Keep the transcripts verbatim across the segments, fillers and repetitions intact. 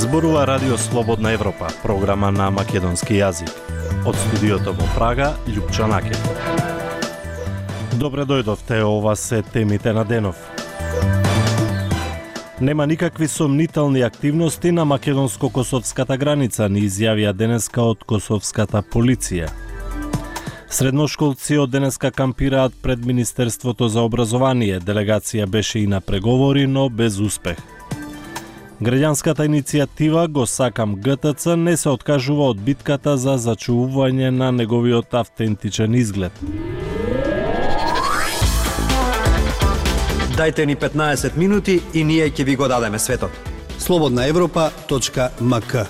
Зборува Радио Слободна Европа, програма на македонски јазик. Од студиото во Прага, Љупчо Наке. Добре дојдовте, ова се темите на денов. Нема никакви сомнителни активности на македонско-косовската граница, ни изјавија денеска од косовската полиција. Средношколци од денеска кампираат пред Министерството за образование. Делегација беше и на преговори, но без успех. Граѓанската иницијатива Го сакам ГТЦ не се откажува од битката за зачувување на неговиот автентичен изглед. Дајте ни петнаесет минути и ние ќе ви го дадеме светот. слободна европа точка ем ка.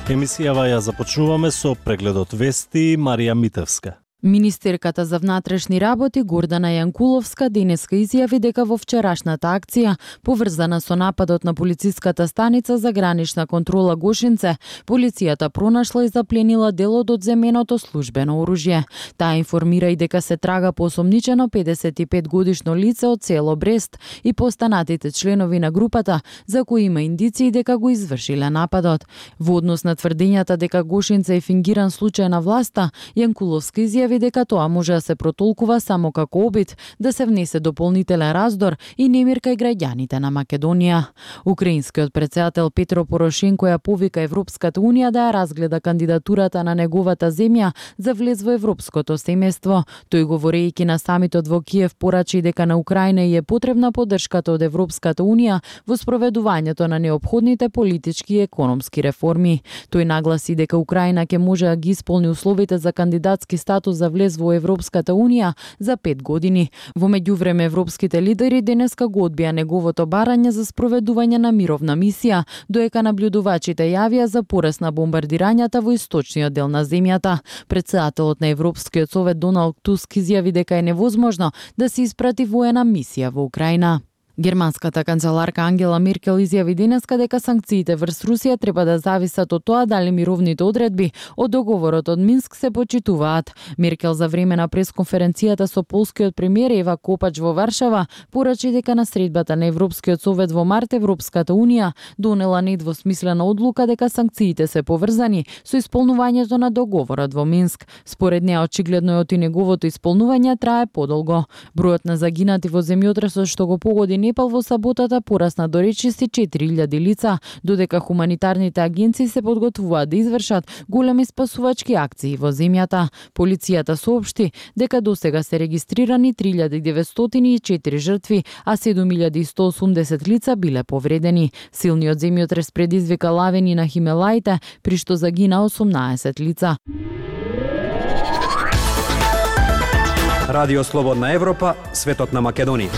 Емисијава ја започнуваме со прегледот вести. Марија Митевска. Министерката за внатрешни работи Гордана Јанкуловска денеска изјави дека во вчерашната акција, поврзана со нападот на полициската станица за гранична контрола Гошинце, полицијата пронашла и запленила дел од одземеното службено оружје. Таа информира и дека се трага по осомничено педесет и пет годишно лице од село Брест и постанатите членови на групата, за кои има индиции дека го извршиле нападот. Во однос на тврдењата дека Гошинце е фингиран случај на власта, Јанкуловска изјави дека тоа може да се протолкува само како обид да се внесе дополнителен раздор и немир кај граѓаните на Македонија. Украинскиот претседател Петро Порошенко ја повика Европската унија да ја разгледа кандидатурата на неговата земја за влез во европското семејство. Тој говорејќи на самитот во Киев порачи дека на Украина и е потребна поддршката од Европската унија во спроведувањето на неопходните политички и економски реформи. Тој нагласи дека Украина ќе може да ги исполни условите за кандидатски статус за влез во Европската унија за пет години. Во меѓувреме европските лидери денеска го одбија неговото барање за спроведување на мировна мисија, доека наблюдувачите јавија за пораст на бомбардирањата во источниот дел на земјата. Претседателот на Европскиот совет Доналд Туск изјави дека е невозможно да се испрати воена мисија во Украина. Германската канцеларка Ангела Меркел изјави денеска дека санкциите врз Русија треба да зависат од тоа дали мировните одредби од договорот од Минск се почитуваат. Меркел за време на пресконференцијата со полскиот премиер Ева Копач во Варшава порачи дека на средбата на Европскиот совет во март Европската унија донела недвосмислена одлука дека санкциите се поврзани со исполнувањето на договорот во Минск. Според неа очигледно е оти неговото исполнување трае подолго. Бројот на загинати во земјотресот што го погоди Непал во саботата порасна до речиси четири илјади лица, додека хуманитарните агенции се подготвуваат да извршат големи спасувачки акции во земјата. Полицијата соопшти дека досега се регистрирани три илјади деветстотини и четири жртви, а седум илјади и сто осумдесет лица биле повредени. Силниот земјотрес предизвика лавини на Химелаите, при што загина осумнаесет лица. Радио Слободна Европа, светот на Македонија.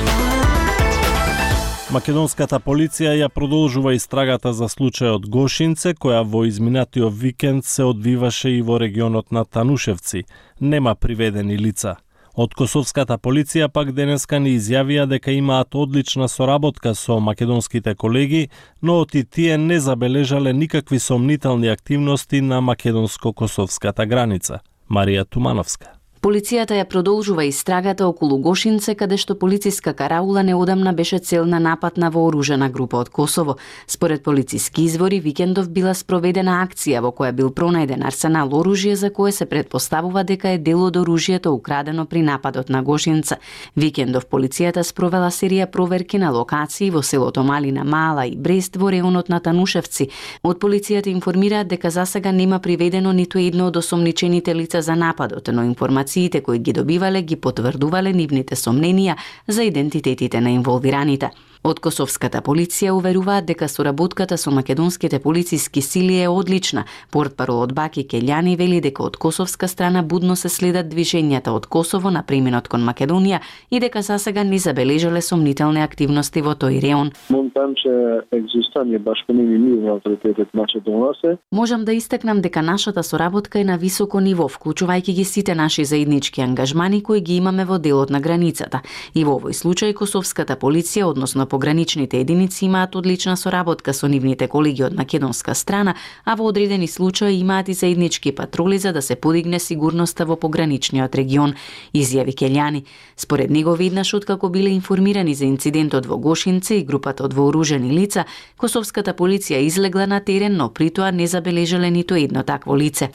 Македонската полиција ја продолжува истрагата за случајот Гошинце, која во изминатиот викенд се одвиваше и во регионот на Танушевци. Нема приведени лица. Од косовската полиција пак денеска ни изјавија дека имаат одлична соработка со македонските колеги, но оти тие не забележале никакви сомнителни активности на македонско-косовската граница. Марија Тумановска. Полицијата ја продолжува истрагата околу Гошинце, каде што полициска караула неодамна беше цел на напад на вооружена група од Косово. Според полициски извори, викендов била спроведена акција во која бил пронајден арсенал оружје за кое се предпоставува дека е дел од оружјето украдено при нападот на Гошинца. Викендов полицијата спровела серија проверки на локации во селото Малина Мала и Брест во реонот на Танушевци. Од полицијата информираат дека засега нема приведено ниту едно од осомничените лица за нападот, но информација кои ги добивале ги потврдувале нивните сомненија за идентитетите на инволвираните. Од косовската полиција уверуваат дека соработката со македонските полициски сили е одлична. Портпаролот Баки Келјани вели дека од косовска страна будно се следат движењата од Косово на преминот кон Македонија и дека засега не забележале сомнителни активности во тој реон. Можам да истакнам дека нашата соработка е на високо ниво, вклучувајќи ги сите наши заеднички ангажмани кои ги имаме во делот на границата. И во овој случај косовската полиција, односно пограничните единици имаат одлична соработка со нивните колеги од македонска страна, а во одредени случаи имаат и заеднички патроли за да се подигне сигурноста во пограничниот регион, изјави Келјани. Според него веднаш откако биле информирани за инцидентот во Гошинце и групата од вооружени лица, косовската полиција излегла на терен, но при тоа не забележале ниту едно такво лице.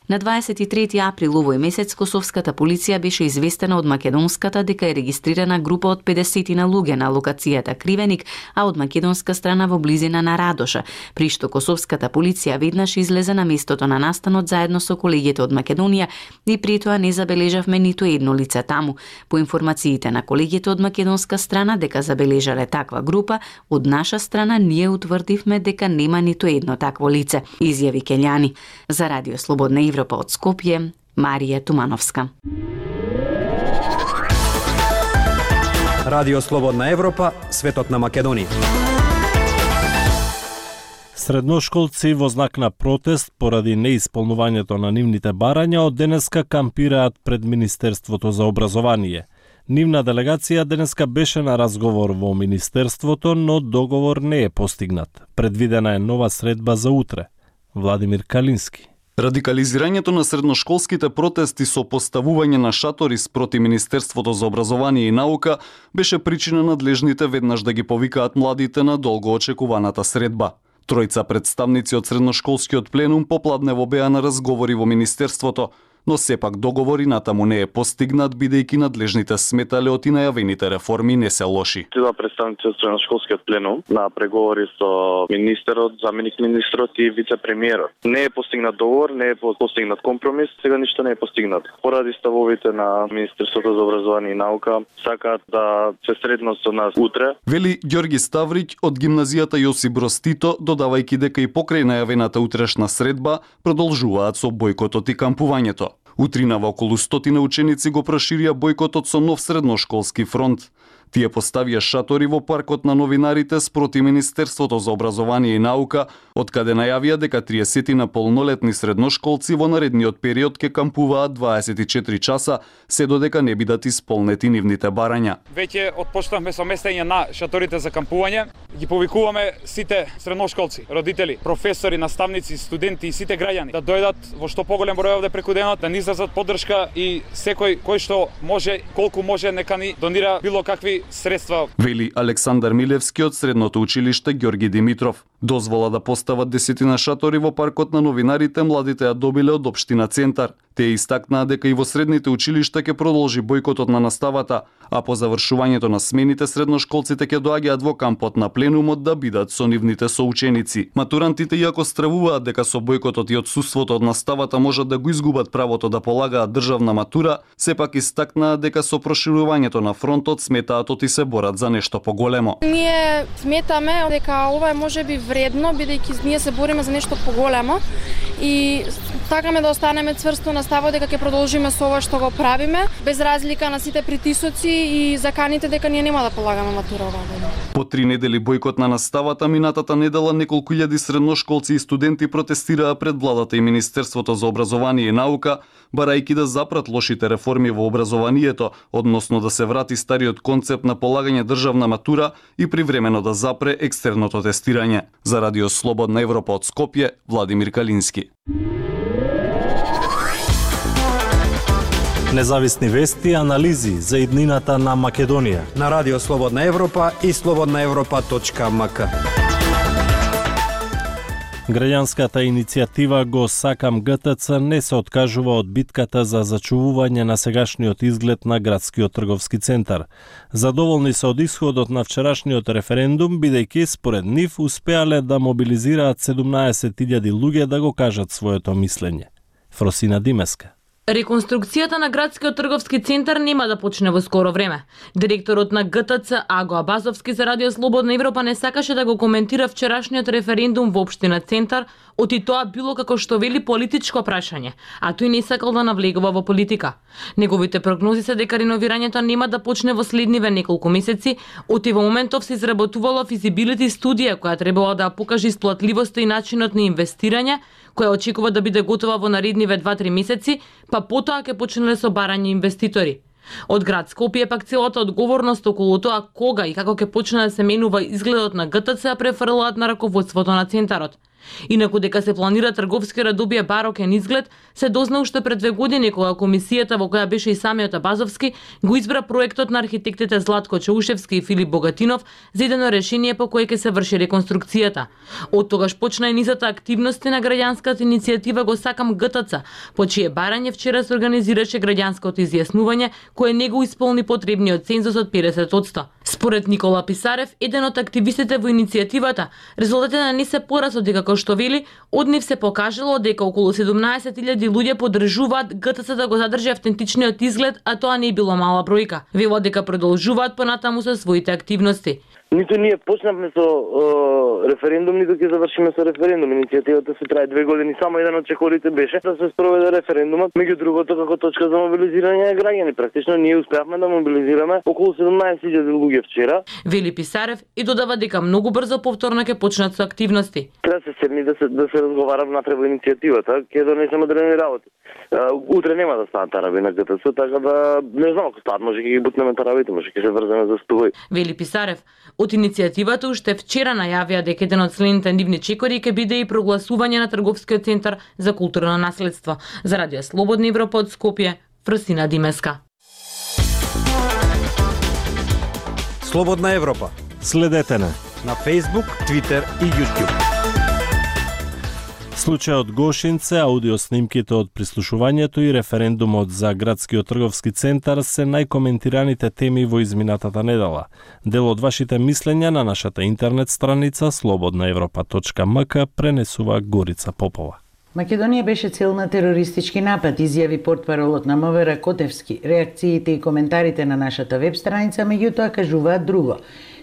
На дваесет и трети април овој месец косовската полиција беше известена од македонската дека е регистрирана група од педесет на луѓе на локацијата Кривеник, а од македонска страна во близина на Радоша, при што косовската полиција веднаш излезе на местото на настанот заедно со колегите од Македонија и при тоа не забележавме ниту едно лице таму. По информациите на колегите од македонска страна дека забележале таква група, од наша страна ние утврдивме дека нема ниту едно такво лице, изјави Келјани. За Радио Слободна Европа од Скопје, Марија Тумановска. Радио Слободна Европа, светот на Македонија. Средношколци во знак на протест поради неисполнувањето на нивните барања од денеска кампираат пред Министерството за образование. Нивна делегација денеска беше на разговор во Министерството, но договор не е постигнат. Предвидена е нова средба за утре. Владимир Калински. Радикализирањето на средношколските протести со поставување на шатори спроти Министерството за образование и наука беше причина надлежните веднаш да ги повикаат младите на долго очекуваната средба. Тројца представници од средношколскиот пленум попладнево беа на разговори во Министерството, но сепак договори натаму не е постигнат, бидејќи надлежните сметале од и најавените реформи не се лоши. Тива представници од средношколскиот пленум на преговори со министерот, заменик министерот и вице-премиерот. Не е постигнат договор, не е постигнат компромис, сега ништо не е постигнат. Поради ставовите на Министерството за образование и наука, сакаат да се сретнат со нас утре. Вели Ѓорги Ставрич од гимназијата Јосип Броз Тито, додавајќи дека и покрај најавената утрешна средба продолжуваат со бојкотот и кампувањето. Утринава околу стотина ученици го проширија бојкотот со нов средношколски фронт. Тие поставија шатори во паркот на новинарите спроти Министерството за образование и наука, од каде најавија дека триесет на полнолетни средношколци во наредниот период ќе кампуваат дваесет и четири часа, се додека не бидат исполнети нивните барања. Веќе отпочнавме со местење на шаторите за кампување. Ги повикуваме сите средношколци, родители, професори, наставници, студенти и сите граѓани да дојдат во што поголем број овде преку денот, да ни изразат поддршка и секој кој што може, колку може, нека ни донира било какви средства. Вели Александар Милевски од средното училиште Ѓорги Димитров. Дозвола да постават десетина шатори во паркот на новинарите младите ја добиле од општина Центар. Тие истакнаа дека и во средните училишта ќе продолжи бојкотот на наставата, а по завршувањето на смените средношколците ќе доаѓаат во кампот на пленумот да бидат со нивните соученици. Матурантите, иако стравуваат дека со бојкотот и отсуството од наставата можат да го изгубат правото да полагаат државна матура, сепак истакнаа дека со проширувањето на фронтот сметаат и се борат за нешто поголемо. Ние сметаме дека ова е можеби вредно, бидејќи ние се бориме за нешто поголемо и сакаме да останеме цврсто на ставот дека ќе продолжиме со ова што го правиме, без разлика на сите притисоци и заканите дека ние нема да полагаме матура оваа година. По три недели бојкот на наставата, минатата недела неколку илјади средношколци и студенти протестираа пред владата и Министерството за образование и наука, барајќи да запрат лошите реформи во образованието, односно да се врати стариот концепт на полагање државна матура и привремено да запре екстерното тестирање. За Радио Слободна Европа од Скопје, Владимир Калински. Независни вести и анализи за иднината на Македонија на Радио Слободна Европа и слободна европа точка ем ка. Граѓанската иницијатива Го сакам Г Т Ц не се откажува од битката за зачувување на сегашниот изглед на градскиот трговски центар. Задоволни се од исходот на вчерашниот референдум, бидејќи според нив успеале да мобилизираат седумнаесет илјади луѓе да го кажат своето мислење. Фросина Димеска. Реконструкцијата на градскиот трговски центар нема да почне во скоро време. Директорот на Г Т Ц Аго Абазовски за Радио Слободна Европа не сакаше да го коментира вчерашниот референдум во општина Центар, оти тоа било како што вели политичко прашање, а тој не сакал да навлегува во политика. Неговите прогнози се дека реновирањето нема да почне во следниве неколку месеци, оти во моментов се изработувала физибилити студија која требала да покаже исплатливоста и начинот на инвестирање, која очекува да биде готова во наредниве два-три месеци, па потоа ќе почнале со барање инвеститори. Од град Скопје пак целата одговорност околу тоа кога и како ќе почне да се менува изгледот на Г Т Ц префрлаат на раководството на центарот. Инаку дека се планира трговски да добие барокен изглед, се дозна уште пред две години кога комисијата во која беше и самиот Абазовски го избра проектот на архитектите Златко Чаушевски и Филип Богатинов за идено решение по кое ќе се врши реконструкцијата. Од тогаш почна и низата активности на граѓанската иницијатива Го сакам Г Т Ц, по чие барање вчера се организираше граѓанското изјаснување кое не го исполни потребниот цензус од педесет одсто. Според Никола Писарев, еден од активистите во иницијативата, резултатите не се порасот дека како што вели, од нив се покажало дека околу седумнаесет илјади луѓе поддржуваат Г Т Ц да го задржи автентичниот изглед, а тоа не било мала бројка. Велат дека продолжуваат понатаму со своите активности. Ниту ние почнавме со е, референдум, ниту ќе завршиме со референдум. Иницијативата се трае две години, само еден од чекорите беше да се спроведе референдумот, меѓу другото како точка за мобилизирање на граѓани. Практично ние успеавме да мобилизираме околу седумнаесет илјади луѓе вчера. Вели Писарев и додава дека многу брзо повторно ќе почнат со активности. Треба се седни да се да се разговара внатре во иницијативата, ќе донесеме одрени работи. Утре нема да станат тараби на Г Т Ц, така да не знам ако стаат, може ќе ги бутнеме тарабите, може ќе се врземе за стуј. Вели Писарев. Од иницијативата уште вчера најавија дека еден од следните нивни чекори ќе биде и прогласување на трговскиот центар за културно наследство. За Радио Слободна Европа од Скопје, Фрсина Димеска. Слободна Европа. Следете на на Facebook, Twitter и YouTube. Случајот Гошинце, аудиоснимките од прислушувањето и референдумот за градскиот трговски центар се најкоментираните теми во изминатата недела. Дел од вашите мислења на нашата интернет страница слободна европа точка м к пренесува Горица Попова. Македонија беше цел на терористички напад, изјави портпаролот на М В Р Котевски. Реакциите и коментарите на нашата веб страница меѓутоа кажуваат друго.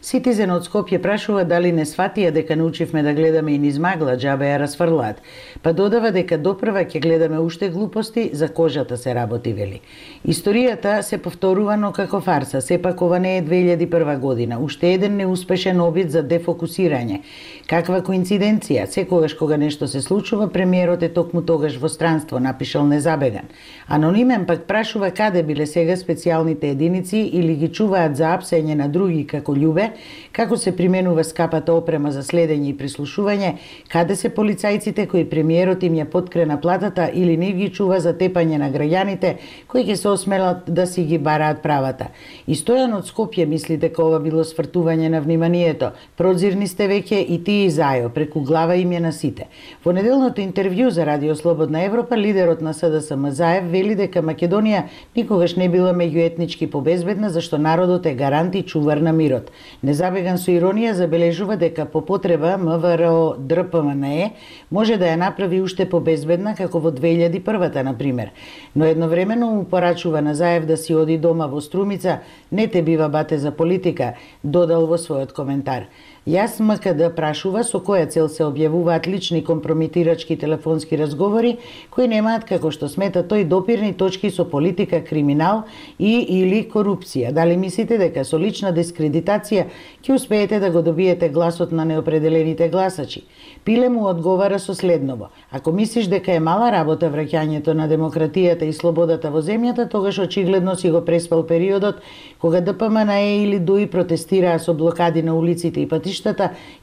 Ситизен од Скопје прашува дали не сватија дека научивме да гледаме и низ магла, џабе ја расфрлаат. Па додава дека допрва ќе гледаме уште глупости, за кожата се работи, вели. Историјата се повторува, но како фарса. Сепак ова не е две илјади и прва година. Уште еден неуспешен обид за дефокусирање. Каква коинциденција? Секогаш кога нешто се случува, премиерот е токму тогаш во странство, напишал незабеган. Анонимен пак прашува каде биле сега специјалните единици или ги чуваат за апсење на други како љубе, како се применува скапата опрема за следење и прислушување, каде се полицајците кои премиерот им ја подкрена платата или не ги чува за тепање на граѓаните кои ќе се осмелат да си ги бараат правата. И Стојан од Скопје мисли дека ова било свртување на вниманието. Прозирни сте веќе и тие зајо, преку глава им е на сите. Во неделното интервју за Радио Слободна Европа, лидерот на С Д С М Заев вели дека Македонија никогаш не била меѓуетнички побезбедна, зашто народот е гарант и чувар на мирот. Незабеган со иронија забележува дека по потреба М В Р Д П М Н Е може да ја направи уште побезбедна како во две илјади и прва, на пример. Но едновремено му порачува на Заев да си оди дома во Струмица, не те бива бате за политика, додал во својот коментар. Јас М К Д прашува со која цел се објавуваат лични компрометирачки телефонски разговори кои немаат, како што смета тој, допирни точки со политика, криминал и или корупција. Дали мислите дека со лична дискредитација ќе успеете да го добиете гласот на неопределените гласачи? Пиле му одговара со следново: ако мислиш дека е мала работа враќањето на демократијата и слободата во земјата, тогаш очигледно си го преспал периодот кога Д П М Н Е или Д У И протестираа со блокади на улиците и патишта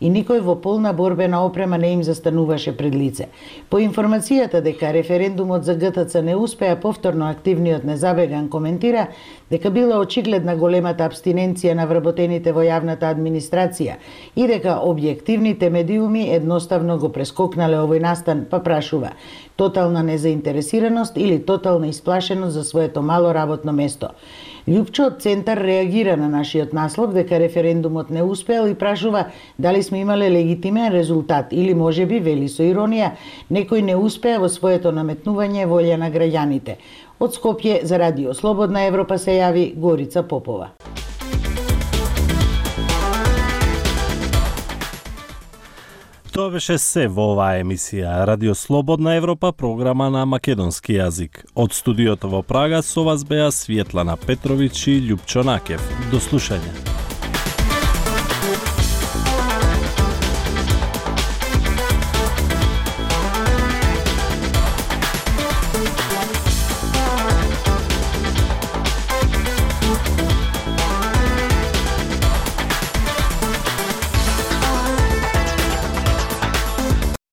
и никој во полна борбена опрема не им застануваше пред лице. По информацијата дека референдумот за Г Т Ц не успеа повторно, активниот незабеган коментира дека била очигледна големата абстиненција на вработените во јавната администрација и дека објективните медиуми едноставно го прескокнале овој настан, па прашува: тотална незаинтересираност или тотална исплашеност за своето мало работно место? Љупчо од Центар реагира на нашиот наслов дека референдумот не успеал и прашува дали сме имале легитимен резултат или можеби, вели со иронија, некој не успеа во своето наметнување волја на граѓаните. Од Скопје за Радио Слободна Европа се јави Горица Попова. Тоа беше се во оваа емисија Радио Слободна Европа, програма на македонски јазик. Од студиото во Прага со вас беа Светлана Петровиќ и Љупчо Накев. До слушање.